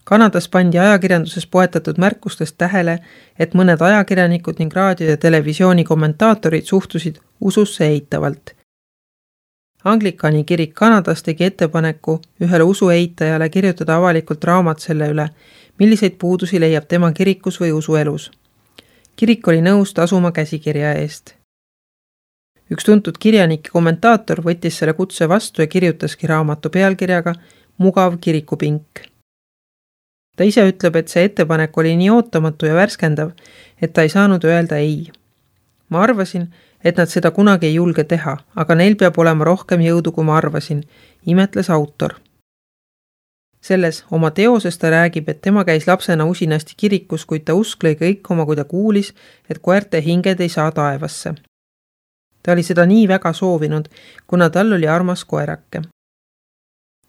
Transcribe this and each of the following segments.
Kanadas pandi ajakirjanduses poetatud märkustest tähele, et mõned ajakirjanikud ning raadio- ja televisiooni kommentaatorid suhtusid ususse eitavalt. Anglikani kirik Kanadas tegi ettepaneku ühele usueitajale kirjutada avalikult raamat selle üle, milliseid puudusi leiab tema kirikus või usuelus. Kirik oli nõus tasuma käsikirja eest. Üks tuntud kirjanik ja kommentaator võttis selle kutse vastu ja kirjutaski raamatu pealkirjaga Mugav kirikupink. Ta ise ütleb, et see ettepanek oli nii ootamatu ja värskendav, et ta ei saanud öelda ei. Ma arvasin, et nad seda kunagi ei julge teha, aga neil peab olema rohkem jõudu, kui ma arvasin, imetles autor. Selles oma teoses ta räägib, et tema käis lapsena usinasti kirikus, kuid ta usk lõi kõikuma, kui ta kuulis, et koerte hinged ei saa taevasse. Ta oli seda nii väga soovinud, kuna tal oli armas koerake.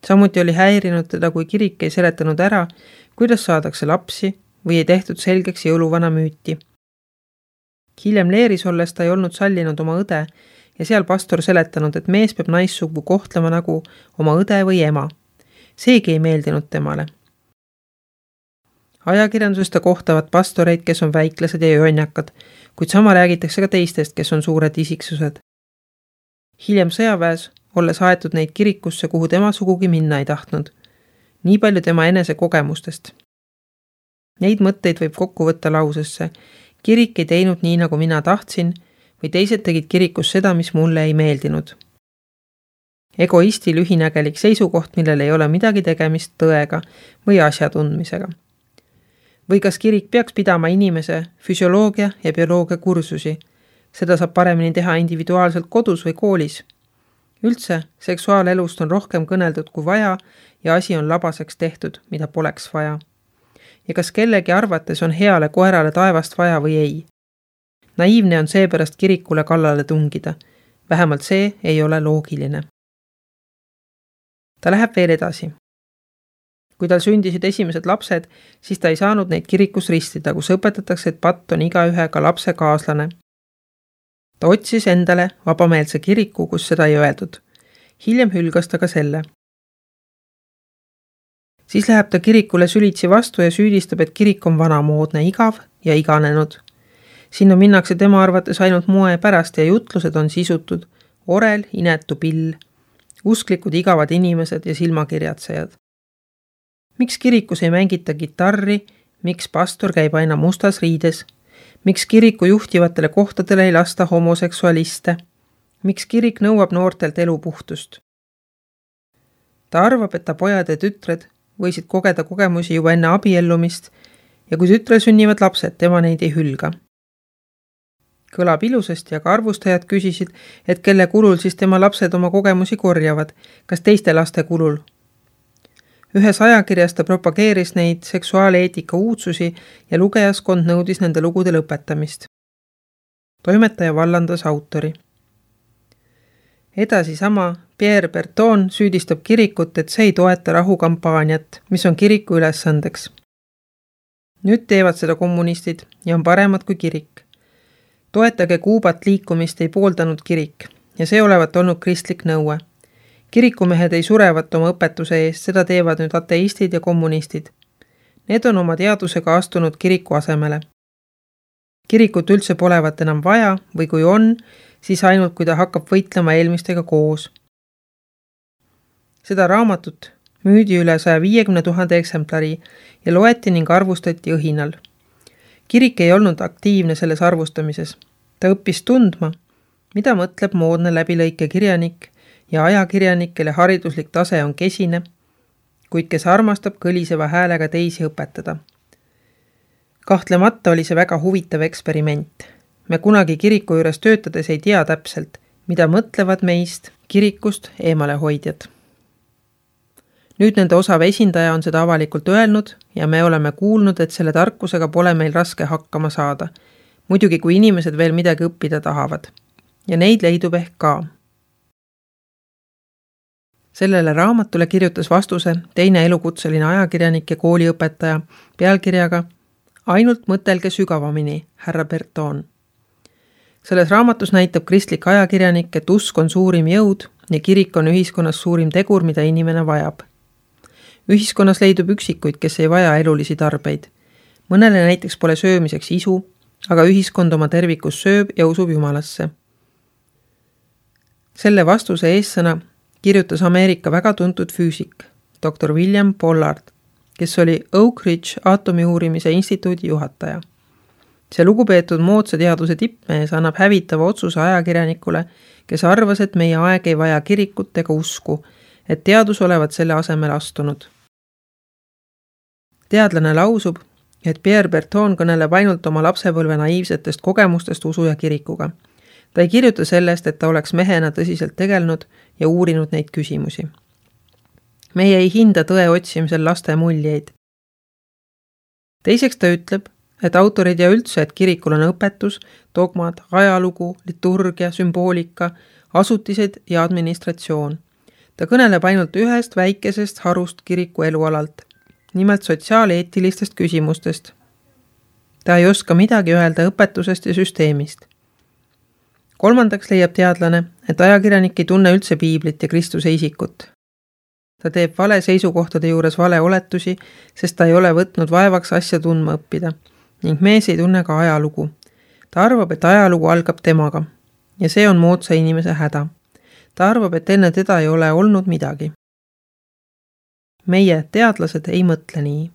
Samuti oli häirinud teda, kui kirik ei seletanud ära, kuidas saadakse lapsi või ei tehtud selgeks jõuluvana müüti. Hiljem Leeris olles ta ei olnud sallinud oma õde ja seal pastor seletanud, et mees peab naissugu kohtlema nagu oma õde või ema. Seegi ei meeldinud temale. Ajakirjanduses ta kohtavad pastoreid, kes on väiklased ja jonjakad, kuid sama räägitakse ka teistest, kes on suured isiksused. Hiljem sõjaväes olles aetud neid kirikusse, kuhu tema sugugi minna ei tahtnud. Nii palju tema enese kogemustest. Neid mõtteid võib kokku võtta lausesse. Kirik ei teinud nii, nagu mina tahtsin, või teised tegid kirikus seda, mis mulle ei meeldinud. Egoisti lühinägelik seisukoht, millel ei ole midagi tegemist tõega või asja tundmisega. Või kas kirik peaks pidama inimese füsioloogia ja bioloogia kursusi? Seda saab paremini teha individuaalselt kodus või koolis. Üldse, seksuaalelust on rohkem kõneldud kui vaja ja asi on labaseks tehtud, mida poleks vaja. Ja kas kellegi arvates on heale koerale taevast vaja või ei? Naiivne on seepärast kirikule kallale tungida. Vähemalt see ei ole loogiline. Ta läheb veel edasi. Kui tal sündisid esimesed lapsed, siis ta ei saanud neid kirikus ristida, kus õpetatakse, et patt on igaühega lapse kaaslane. Ta otsis endale vabameelse kiriku, kus seda ei öeldud. Hiljem hülgas ta ka selle. Siis läheb ta kirikule sülitsi vastu ja süüdistab, et kirik on vanamoodne, igav ja iganenud. Sinna minnakse tema arvates ainult moe pärast ja jutlused on sisutud. Orel, inetu pill, usklikud igavad inimesed ja silmakirjatsejad. Miks kirikus ei mängita kitarri, miks pastor käib aina mustas riides, miks kiriku juhtivatele kohtadele ei lasta homoseksualiste, miks kirik nõuab noortelt elupuhtust. Ta arvab, et ta pojad ja tütred võisid kogeda kogemusi juba enne abiellumist ja kui tütrel sünnivad lapsed, tema neid ei hülga. Kõlab ilusasti, aga arvustajad küsisid, et kelle kulul siis tema lapsed oma kogemusi korjavad, kas teiste laste kulul. Ühes ajakirjas ta propageeris neid seksuaaleetika uudsusi ja lugejaskond nõudis nende lugude lõpetamist. Toimetaja vallandas autori. Edasi sama Pierre Berton süüdistab kirikut, et see ei toeta rahukampaaniat, mis on kiriku ülesandeks. Nüüd teevad seda kommunistid ja on paremad kui kirik. Toetage Kuubat liikumist ei pooldanud kirik ja see olevat olnud kristlik nõue. Kirikumehed ei surevat oma õpetuse eest, seda teevad nüüd ateistid ja kommunistid. Need on oma teadusega astunud kiriku asemele. Kirikut üldse polevat enam vaja või kui on, siis ainult kui ta hakkab võitlema eelmistega koos. Seda raamatut müüdi üle 150 000 eksemplari ja loeti ning arvustati õhinal. Kirik ei olnud aktiivne selles arvustamises. Ta õppis tundma, mida mõtleb moodne läbilõike kirjanik ja ajakirjanik, kelle hariduslik tase on kesine, kuid kes armastab kõliseva häälega teisi õpetada. Kahtlemata oli see väga huvitav eksperiment. Me kunagi kiriku juures töötades ei tea täpselt, mida mõtlevad meist kirikust eemale hoidjad. Nüüd nende osav esindaja on seda avalikult öelnud ja me oleme kuulnud, et selle tarkusega pole meil raske hakkama saada. Muidugi, kui inimesed veel midagi õppida tahavad. Ja neid leidub ehk ka. Sellele raamatule kirjutas vastuse teine elukutseline ajakirjanik ja kooliõpetaja pealkirjaga Ainult mõtelge sügavamini, härra Berton. Selles raamatus näitab kristlik ajakirjanik, et usk on suurim jõud ja kirik on ühiskonnas suurim tegur, mida inimene vajab. Ühiskonnas leidub üksikuid, kes ei vaja elulisi tarbeid. Mõnele näiteks pole söömiseks isu, aga ühiskond oma tervikus sööb ja usub Jumalasse. Selle vastuse eessõna kirjutas Ameerika väga tuntud füüsik, dr. William Pollard, kes oli Oak Ridge aatomiuurimise instituudi juhataja. See lugupeetud moodsa teaduse tippmees annab hävitava otsuse ajakirjanikule, kes arvas, et meie aeg ei vaja kirikut ega usku, et teadus olevat selle asemel astunud. Teadlane lausub, et Pierre Berton kõneleb ainult oma lapsepõlve naiivsetest kogemustest usu ja kirikuga. Ta ei kirjuta sellest, et ta oleks mehena tõsiselt tegelenud ja uurinud neid küsimusi. Meie ei hinda tõe otsimisel laste muljeid. Teiseks ta ütleb, et autorid ja üldse, et kirikul on õpetus, dogmad, ajalugu, liturgia, sümboolika, asutised ja administratsioon. Ta kõneleb ainult ühest väikesest harust kiriku elualalt, nimelt sotsiaaleetilistest küsimustest. Ta ei oska midagi öelda õpetusest ja süsteemist. Kolmandaks leiab teadlane, et ajakirjanik ei tunne üldse piiblit ja Kristuse isikut. Ta teeb vale seisukohtade juures vale oletusi, sest ta ei ole võtnud vaevaks asja tundma õppida ning mees ei tunne ka ajalugu. Ta arvab, et ajalugu algab temaga ja see on moodsa inimese häda. Ta arvab, et enne teda ei ole olnud midagi. Meie, teadlased, ei mõtle nii.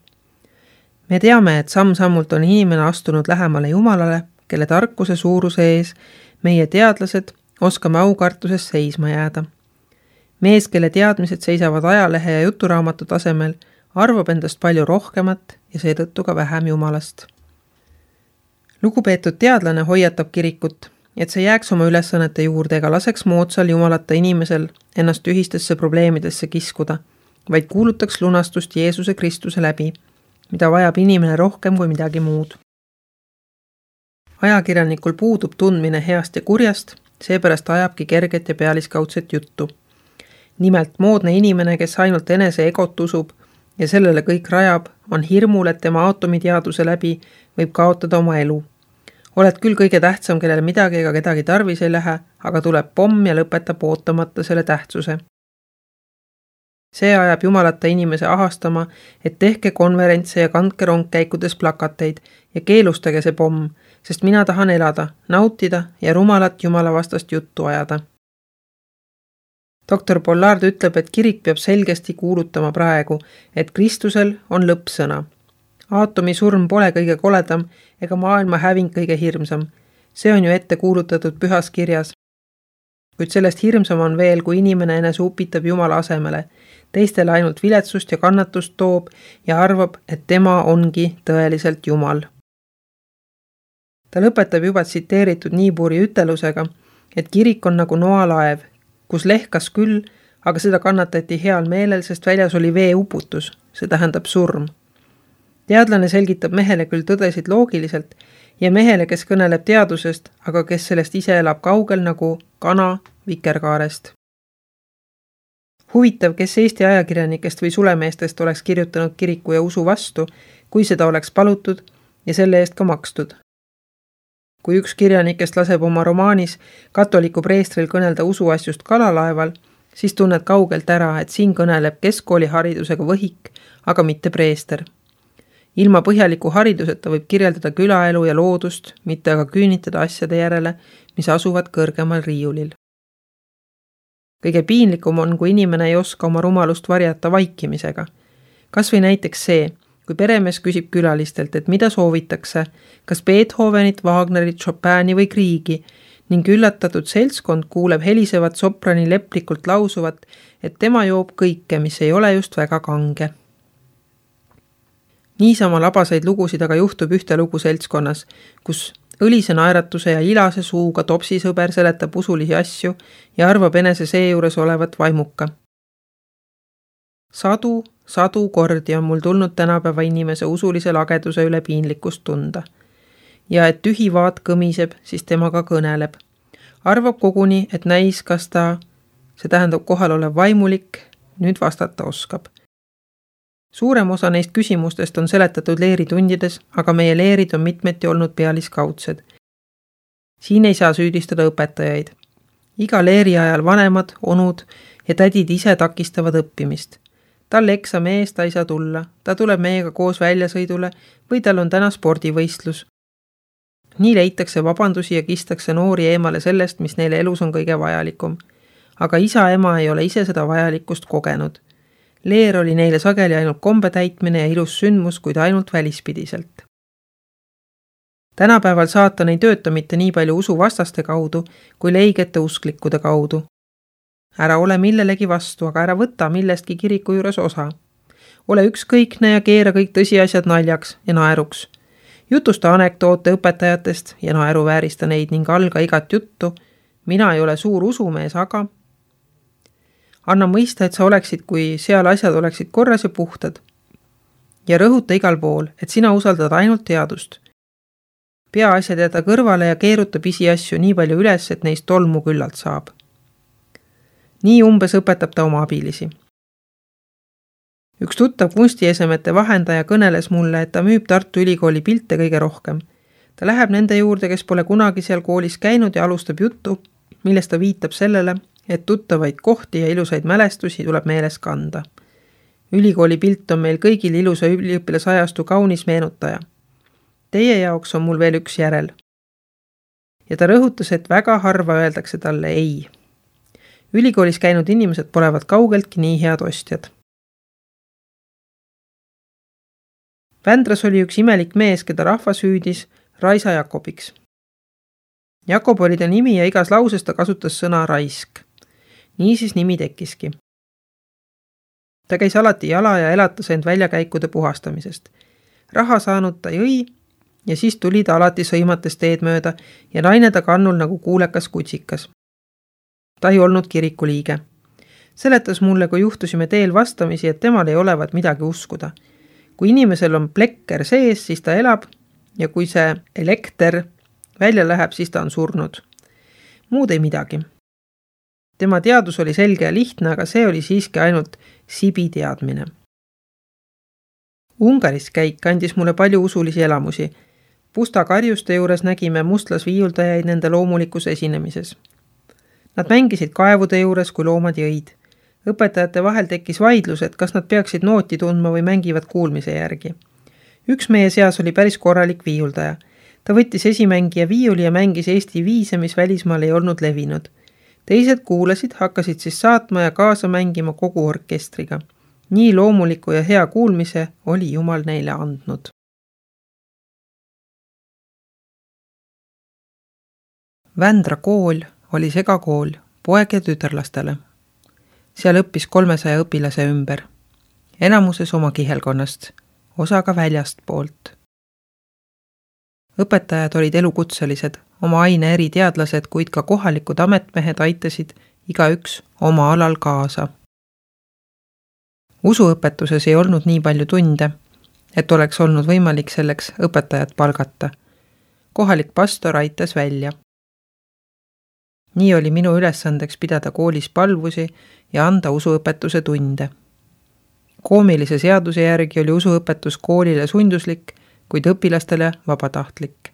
Me teame, et samm-sammult on inimene astunud lähemale Jumalale, kelle tarkuse suuruse ees meie teadlased oskame aukartuses seisma jääda. Mees, kelle teadmised seisavad ajalehe ja juturaamatu tasemel, arvab endast palju rohkemat ja seetõttu ka vähem Jumalast. Lugupeetud teadlane hoiatab kirikut, et see jääks oma ülesannete juurde ega laseks moodsal jumalata inimesel ennast ühistesse probleemidesse kiskuda, vaid kuulutaks lunastust Jeesuse Kristuse läbi, mida vajab inimene rohkem kui midagi muud. Ajakirjanikul puudub tundmine heast ja kurjast, seepärast ajabki kerget ja pealiskaudset juttu. Nimelt moodne inimene, kes ainult enese egot usub ja sellele kõik rajab, on hirmul, et tema aatomiteaduse läbi võib kaotada oma elu. Oled küll kõige tähtsam, kellel midagi ega kedagi tarvis ei lähe, aga tuleb pomm ja lõpetab ootamata selle tähtsuse. See ajab jumalata inimese ahastama, et tehke konverentse ja kandke rongkäikudes plakateid ja keelustage see pomm, sest mina tahan elada, nautida ja rumalat jumala vastast juttu ajada. Dr. Pollard ütleb, et kirik peab selgesti kuulutama praegu, et Kristusel on lõppsõna. Aatomi surm pole kõige koledam ega maailma häving kõige hirmsam. See on ju ette kuulutatud pühas kirjas. Kuid sellest hirmsam on veel, kui inimene enese upitab Jumala asemele, teistele ainult viletsust ja kannatust toob ja arvab, et tema ongi tõeliselt Jumal. Ta lõpetab juba tsiteeritud Niiburi ütelusega, et kirik on nagu noalaev, kus lehkas küll, aga seda kannatati heal meelel, sest väljas oli veeuputus, see tähendab surm. Teadlane selgitab mehele küll tõdesid loogiliselt ja mehele, kes kõneleb teadusest, aga kes sellest ise elab kaugel nagu kana vikerkaarest. Huvitav, kes Eesti ajakirjanikest või sulemeestest oleks kirjutanud kiriku ja usu vastu, kui seda oleks palutud ja selle eest ka makstud. Kui üks kirjanikest laseb oma romaanis katoliku preestril kõnelda usuasjust kalalaeval, siis tunned kaugelt ära, et siin kõneleb keskkooliharidusega võhik, aga mitte preester. Ilma põhjaliku hariduseta võib kirjeldada külaelu ja loodust, mitte aga küünitada asjade järele, mis asuvad kõrgemal riiulil. Kõige piinlikum on, kui inimene ei oska oma rumalust varjata vaikimisega. Kas või näiteks see, kui peremees küsib külalistelt, et mida soovitakse, kas Beethovenit, Wagnerit, Chopini või Kriegi, ning üllatatud seltskond kuuleb helisevat soprani leplikult lausuvat, et tema joob kõike, mis ei ole just väga kange. Niisama labaseid lugusid aga juhtub ühte lugu seltskonnas, kus õlise naeratuse ja ilase suuga topsisõber seletab usulisi asju ja arvab enese seejuures olevat vaimuka. Sadu kordi on mul tulnud tänapäeva inimese usulise lageduse üle piinlikkust tunda. Ja et tühi vaat kõmiseb, siis temaga kõneleb. Arvab koguni, et näis, kas ta, see tähendab kohal olev vaimulik, nüüd vastata oskab. Suurem osa neist küsimustest on seletatud leeritundides, aga meie leerid on mitmeti olnud pealiskaudsed. Siin ei saa süüdistada õpetajaid. Iga leeri ajal vanemad, onud ja tädid ise takistavad õppimist. Tal eksami eest ta ei saa tulla, ta tuleb meiega koos väljasõidule või tal on täna spordivõistlus. Nii leitakse vabandusi ja kistakse noori eemale sellest, mis neile elus on kõige vajalikum. Aga isa-ema ei ole ise seda vajalikkust kogenud. Leer oli neile sageli ainult kombe täitmine ja ilus sündmus, kuid ainult välispidiselt. Tänapäeval saatan ei tööta mitte nii palju usuvastaste kaudu, kui leigete usklikkude kaudu. Ära ole millelegi vastu, aga ära võta millestki kiriku juures osa. Ole ükskõikne ja keera kõik tõsiasjad naljaks ja naeruks. Jutusta anekdoote õpetajatest ja naeruväärista neid ning alga igat juttu. Mina ei ole suur usumees, aga anna mõista, et sa oleksid, kui seal asjad oleksid korras ja puhtad. Ja rõhuta igal pool, et sina usaldad ainult teadust. Pea asjad jäta kõrvale ja keeruta pisiasju nii palju üles, et neist tolmu küllalt saab. Nii umbes õpetab ta oma abilisi. Üks tuttav kunstiesemete vahendaja kõneles mulle, et ta müüb Tartu Ülikooli pilte kõige rohkem. Ta läheb nende juurde, kes pole kunagi seal koolis käinud ja alustab juttu, millest ta viitab sellele, et tuttavaid kohti ja ilusaid mälestusi tuleb meeles kanda. Ülikooli pilt on meil kõigil ilusa üliõpilasajastu kaunis meenutaja. Teie jaoks on mul veel üks järel. Ja ta rõhutas, et väga harva öeldakse talle ei. Ülikoolis käinud inimesed polevad kaugeltki nii head ostjad. Vändras oli üks imelik mees, keda rahvas hüüdis Raisa Jakobiks. Jakob oli ta nimi ja igas lauses ta kasutas sõna raisk. Nii siis nimi tekkiski. Ta käis alati jala ja elatas end väljakäikude puhastamisest. Raha saanud ta jõi ja siis tuli ta alati sõimates teed mööda ja naine ta kannul nagu kuulekas kutsikas. Ta ei olnud kiriku liige. Seletas mulle, kui juhtusime teel vastamisi, et temal ei olevat midagi uskuda. Kui inimesel on plekker sees, siis ta elab ja kui see elekter välja läheb, siis ta on surnud. Muud ei midagi. Tema teadus oli selge ja lihtne, aga see oli siiski ainult sibi teadmine. Ungaris käik andis mulle palju usulisi elamusi. Pusta karjuste juures nägime mustlasviiuldajaid nende loomulikus esinemises. Nad mängisid kaevude juures, kui loomad jõid. Õpetajate vahel tekkis vaidlus, et kas nad peaksid nooti tundma või mängivad kuulmise järgi. Üks meie seas oli päris korralik viiuldaja. Ta võttis esimängija viiuli ja mängis Eesti viise, mis välismaal ei olnud levinud. Teised kuulasid, hakkasid siis saatma ja kaasa mängima kogu orkestriga. Nii loomuliku ja hea kuulmise oli Jumal neile andnud. Vändra kool oli segakool poeg- ja tütarlastele. Seal õppis 300 õpilase ümber. Enamuses oma kihelkonnast, osa ka väljast poolt. Õpetajad olid elukutselised, oma aine eri teadlased, kuid ka kohalikud ametmehed aitasid igaüks oma alal kaasa. Usuõpetuses ei olnud nii palju tunde, et oleks olnud võimalik selleks õpetajat palgata. Kohalik pastor aitas välja. Nii oli minu ülesandeks pidada koolis palvusi ja anda usuõpetuse tunde. Koomilise seaduse järgi oli usuõpetus koolile sunduslik, kuid õpilastele vabatahtlik.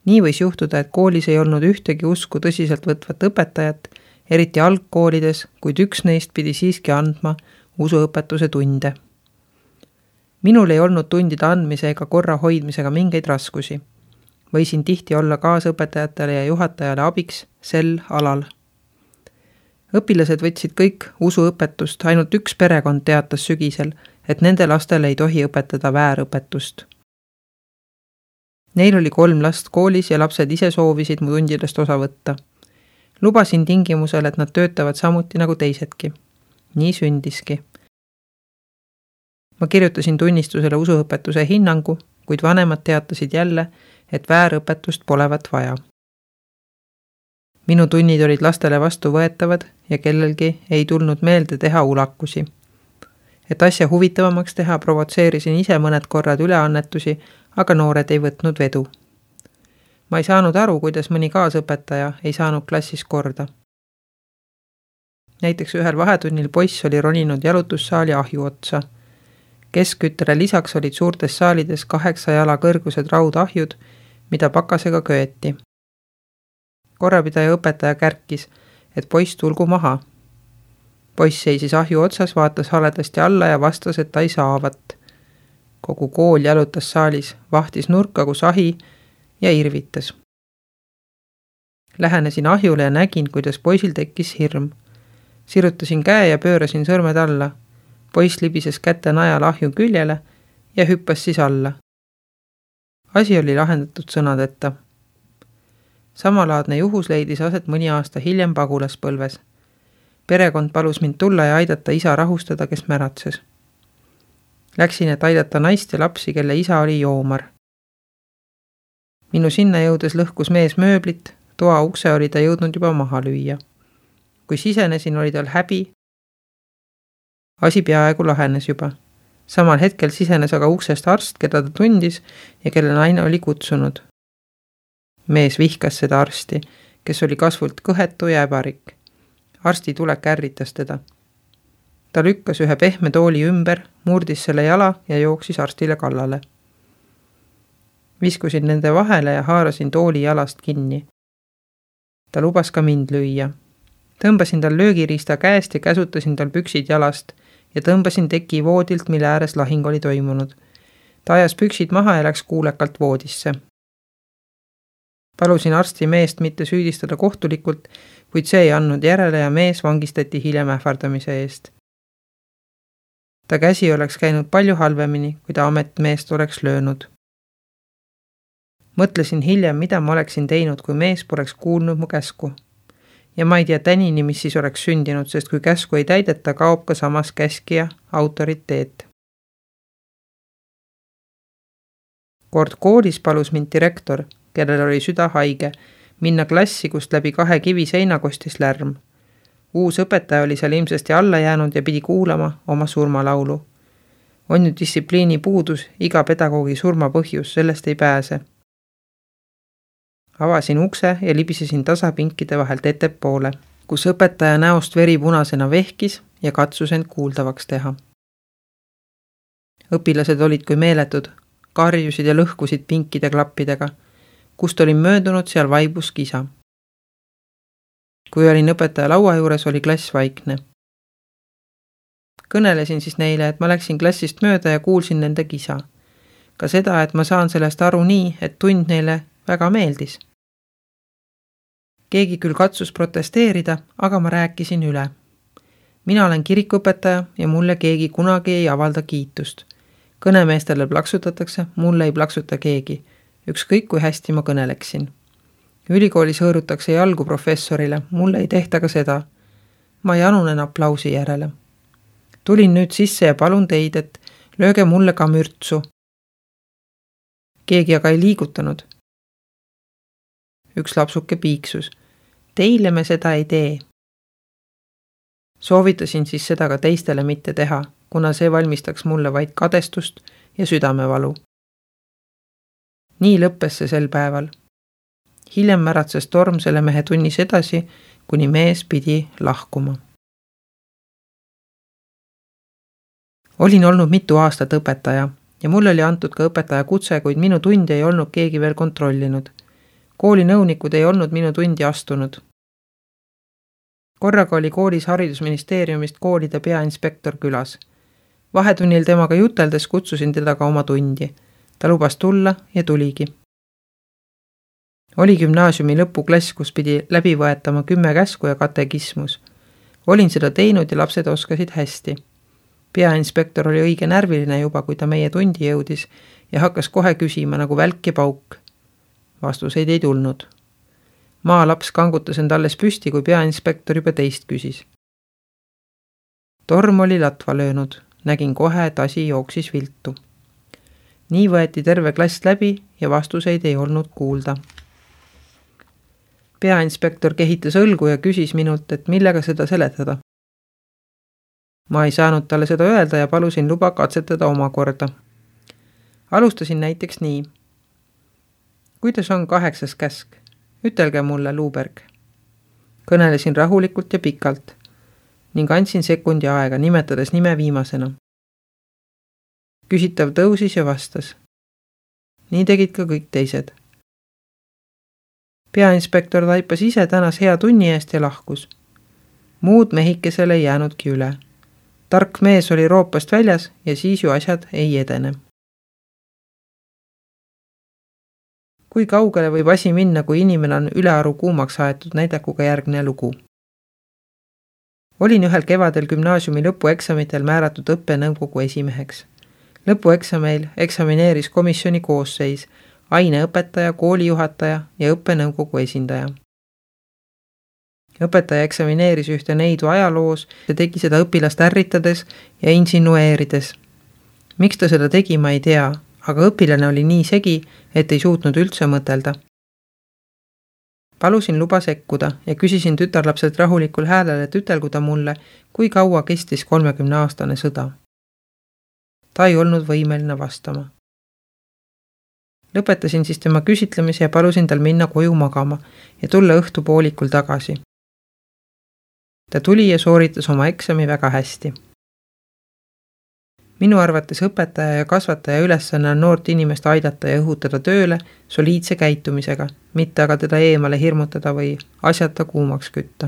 Nii võis juhtuda, et koolis ei olnud ühtegi usku tõsiselt võtvat õpetajat, eriti algkoolides, kuid üks neist pidi siiski andma usuõpetuse tunde. Minul ei olnud tundide andmise ega korra hoidmisega mingeid raskusi. Võisin tihti olla kaasõpetajatele ja juhatajale abiks sel alal. Õpilased võtsid kõik usuõpetust, ainult üks perekond teatas sügisel, et nende lastele ei tohi õpetada väärõpetust. Neil oli 3 last koolis ja lapsed ise soovisid mu tundidest osa võtta. Lubasin tingimusel, et nad töötavad samuti nagu teisedki. Nii sündiski. Ma kirjutasin tunnistusele usuõpetuse hinnangu, kuid vanemad teatasid jälle, et väärõpetust polevat vaja. Minu tunnid olid lastele vastu võetavad ja kellelgi ei tulnud meelde teha ulakusi. Et asja huvitavamaks teha, provotseerisin ise mõned korrad üleannetusi, aga noored ei võtnud vedu. Ma ei saanud aru, kuidas mõni kaasõpetaja ei saanud klassis korda. Näiteks ühel vahetunnil poiss oli roninud jalutussaali ahju otsa. Keskküttele lisaks olid suurtes saalides 8 jala kõrgused raudahjud, mida pakasega köeti. Korrapidaja õpetaja kärkis, et poiss tulgu maha. Poiss seisis ahju otsas, vaatas haledasti alla ja vastas, et ta ei saavat. Kogu kool jalutas saalis, vahtis nurka, kus ahi ja irvitas. Lähenesin ahjule ja nägin, kuidas poisil tekkis hirm. Sirutasin käe ja pöörasin sõrmed alla. Poiss libises käte najal ahju küljele ja hüppas siis alla. Asi oli lahendatud sõnadeta. Samalaadne juhus leidis aset mõni aasta hiljem Pagulaspõlves. Perekond palus mind tulla ja aidata isa rahustada, kes märatses. Läksin, et aidata naist ja lapsi, kelle isa oli joomar. Minu sinna jõudes lõhkus mees mööblit, toa ukse oli ta jõudnud juba maha lüüa. Kui sisenesin, oli tal häbi. Asi peaaegu lahenes juba. Samal hetkel sisenes aga uksest arst, keda ta tundis ja kelle naine oli kutsunud. Mees vihkas seda arsti, kes oli kasvult kõhetu ja äbarik. Arsti tulek ärritas teda. Ta lükkas ühe pehme tooli ümber, murdis selle jala ja jooksis arstile kallale. Viskusin nende vahele ja haarasin tooli jalast kinni. Ta lubas ka mind lüüa. Tõmbasin tal löögiriista käest ja käsutasin tal püksid jalast ja tõmbasin teki voodilt, mille ääres lahing oli toimunud. Ta ajas püksid maha ja läks kuulekalt voodisse. Palusin arsti meest mitte süüdistada kohtulikult, kuid see ei andnud järele ja mees vangistati hiljem ähvardamise eest. Ta käsi oleks käinud palju halvemini, kui ta ametmeest oleks löönud. Mõtlesin hiljem, mida ma oleksin teinud, kui mees poleks kuulnud mu käsku. Ja ma ei tea tänini, mis siis oleks sündinud, sest kui käsku ei täideta, kaob ka samas käskija autoriteet. Kord koolis palus mind direktor, kellel oli süda haige, minna klassi, kust läbi 2 kivi seina kostis lärm. Uus õpetaja oli seal ilmsesti alla jäänud ja pidi kuulama oma surmalaulu. On ju distsipliini puudus, iga pedagoogi surma põhjus, sellest ei pääse. Avasin ukse ja libisesin tasapinkide vahelt ettepoole, kus õpetaja näost veri punasena vehkis ja katsus end kuuldavaks teha. Õpilased olid kui meeletud, karjusid ja lõhkusid pinkide klappidega. Kust olin möödunud, seal vaibus kisa. Kui olin õpetaja laua juures, oli klass vaikne. Kõnelesin siis neile, et ma läksin klassist mööda ja kuulsin nende kisa. Ka seda, et ma saan sellest aru nii, et tund neile väga meeldis. Keegi küll katsus protesteerida, aga ma rääkisin üle. Mina olen kirikuõpetaja ja mulle keegi kunagi ei avalda kiitust. Kõnemeestele plaksutatakse, mulle ei plaksuta keegi. Ükskõik kui hästi ma kõneleksin. Ülikoolis hõõrutakse jalgu professorile, mulle ei tehta ka seda. Ma janunen aplausi järele. Tulin nüüd sisse ja palun teid, et lööge mulle ka mürtsu. Keegi aga ei liigutanud. Üks lapsuke piiksus. Teile me seda ei tee. Soovitasin siis seda ka teistele mitte teha, kuna see valmistaks mulle vaid kadestust ja südamevalu. Nii lõppes see sel päeval. Hiljem märatses torm selle mehe tunnis edasi, kuni mees pidi lahkuma. Olin olnud mitu aastat õpetaja ja mulle oli antud ka õpetaja kutse, kuid minu tundi ei olnud keegi veel kontrollinud. Kooli nõunikud ei olnud minu tundi astunud. Korraga oli koolis haridusministeeriumist koolide peainspektor külas. Vahetunnil temaga juteldes kutsusin teda ka oma tundi. Ta lubas tulla ja tuligi. Oli gümnaasiumi lõpuklass, kus pidi läbi võetama 10 käsku ja katekismus. Olin seda teinud ja lapsed oskasid hästi. Peainspektor oli õige närviline juba, kui ta meie tundi jõudis ja hakkas kohe küsima nagu välk ja pauk. Vastuseid ei tulnud. Maalaps kangutas end alles püsti, kui peainspektor juba teist küsis. Torm oli latva löönud. Nägin kohe, et asi jooksis viltu. Nii võeti terve klass läbi ja vastuseid ei olnud kuulda. Peainspektor kehitas õlgu ja küsis minult, et millega seda seletada. Ma ei saanud talle seda öelda ja palusin luba katsetada omakorda. Alustasin näiteks nii. Kuidas on 8. käsk? Ütelge mulle, Luuberg. Kõnelesin rahulikult ja pikalt ning andsin sekundi aega, nimetades nime viimasena. Küsitav tõusis ja vastas. Nii tegid ka kõik teised. Peainspektor taipas ise tänas hea tunni eest ja lahkus. Muud mehikesele ei jäänudki üle. Tark mees oli roopast väljas ja siis ju asjad ei edene. Kui kaugele võib asi minna, kui inimene on ülearu kuumaks aetud, näidakuga järgne lugu. Olin ühel kevadel gümnaasiumi lõpueksamitel määratud õppenõukogu esimeheks. Lõpueksameil eksamineeris komisjoni koosseis, aineõpetaja, koolijuhataja ja õppenõukogu esindaja. Õpetaja eksamineeris ühte neidu ajaloos ja tegi seda õpilast ärritades ja insinueerides. Miks ta seda tegi, ma ei tea, aga õpilane oli nii segi, et ei suutnud üldse mõtelda. Palusin luba sekkuda ja küsisin tütarlapselt rahulikul häälel, et ütelgu ta mulle, kui kaua kestis 30-aastane sõda. Ta ei olnud võimeline vastama. Lõpetasin siis tema küsitlemise ja palusin tal minna koju magama ja tulla õhtupoolikul tagasi. Ta tuli ja sooritas oma eksami väga hästi. Minu arvates õpetaja ja kasvataja ülesanne on noort inimest aidata ja õhutada tööle soliidse käitumisega, mitte aga teda eemale hirmutada või asjata kuumaks kütta.